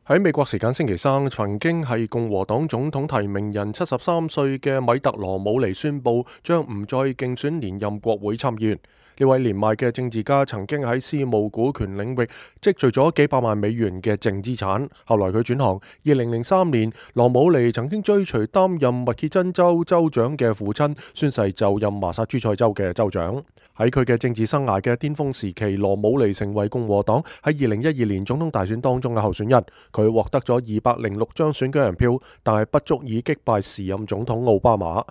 喺美國時間星期三，曾經係共和黨總統提名人73歲嘅米特羅姆尼宣布將唔再競選連任國會參議員。呢位年邁嘅政治家曾經喺私募股權領域積聚咗幾百萬美元嘅淨資產，後來佢轉行。2003年，羅姆尼曾經追隨擔任密歇根州州長嘅父親宣誓就任麻薩諸塞州嘅州長。喺佢嘅政治生涯嘅巔峰時期，羅姆尼成為共和黨喺2012年總統大選當中嘅候選人。佢獲得咗206張選舉人票，但係不足以擊敗時任總統奧巴馬。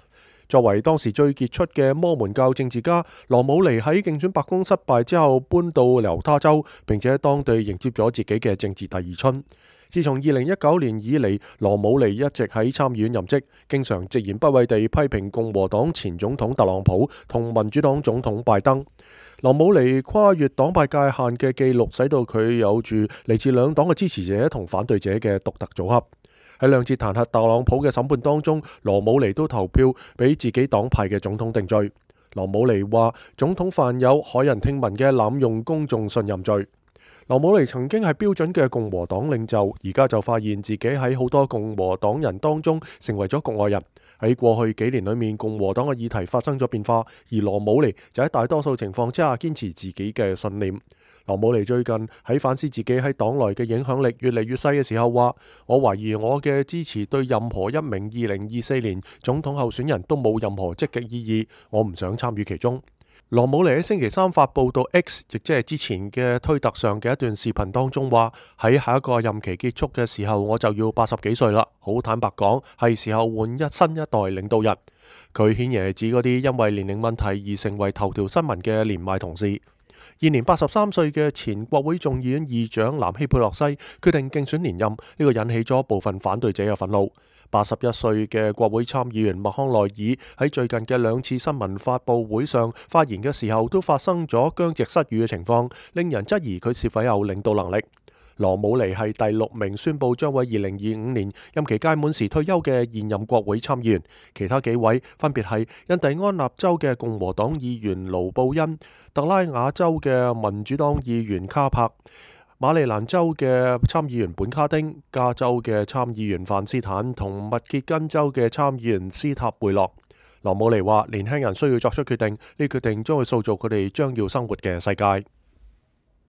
作為當時最傑出嘅摩門教政治家，羅姆尼喺競選白宮失敗之後搬到猶他州，並且喺當地迎接咗自己嘅政治第二春。自從2019年以嚟，羅姆尼一直喺參議院任職，經常直言不諱地批評共和黨前總統特朗普同民主黨總統拜登。羅姆尼跨越黨派界限嘅記錄，使到佢有住嚟自兩黨嘅支持者同反對者嘅獨特組合。喺兩次彈劾特朗普嘅審判當中，羅姆尼都投票俾自己黨派嘅總統定罪。羅姆尼話總統犯有駭人聽聞嘅濫用公眾信任罪。羅姆尼曾經係標準嘅共和黨領袖，而家就發現自己喺好多共和黨人當中成為咗局外人。喺過去幾年裏面，共和黨嘅議題發生咗變化，而羅姆尼就喺大多數情況之下堅持自己嘅信念。羅姆尼最近喺反思自己喺黨內嘅影響力越嚟越細嘅時候話：我懷疑我嘅支持對任何一名2024年總統候選人都冇任何積極意義，我唔想參與其中。羅姆尼喺星期三發佈到 X， 亦即係之前嘅推特上嘅一段視頻當中話：喺下一個任期結束嘅時候，我就要80幾歲啦。好坦白講，係時候換新一代領導人。佢顯然係指嗰啲因為年齡問題而成為頭條新聞嘅年邁同事。現年83歲嘅前國會眾議院議長南希佩洛西決定競選連任，呢個引起咗部分反對者嘅憤怒。81歲嘅國會參議員麥康奈爾喺最近嘅兩次新聞發佈會上發言嘅時候，都發生咗僵直失語嘅情況，令人質疑佢是否有領導能力。羅姆尼係第6名宣布將會2025年任期屆滿時退休嘅現任國會參議員，其他幾位分別係印第安納州嘅共和黨議員盧布恩、特拉瓦州嘅民主黨議員卡柏、馬里蘭州嘅參議員本卡丁、加州嘅參議員范斯坦同密歇根州嘅參議員斯塔貝洛。羅姆尼話：年輕人需要作出決定，呢決定將會塑造佢哋將要生活嘅世界。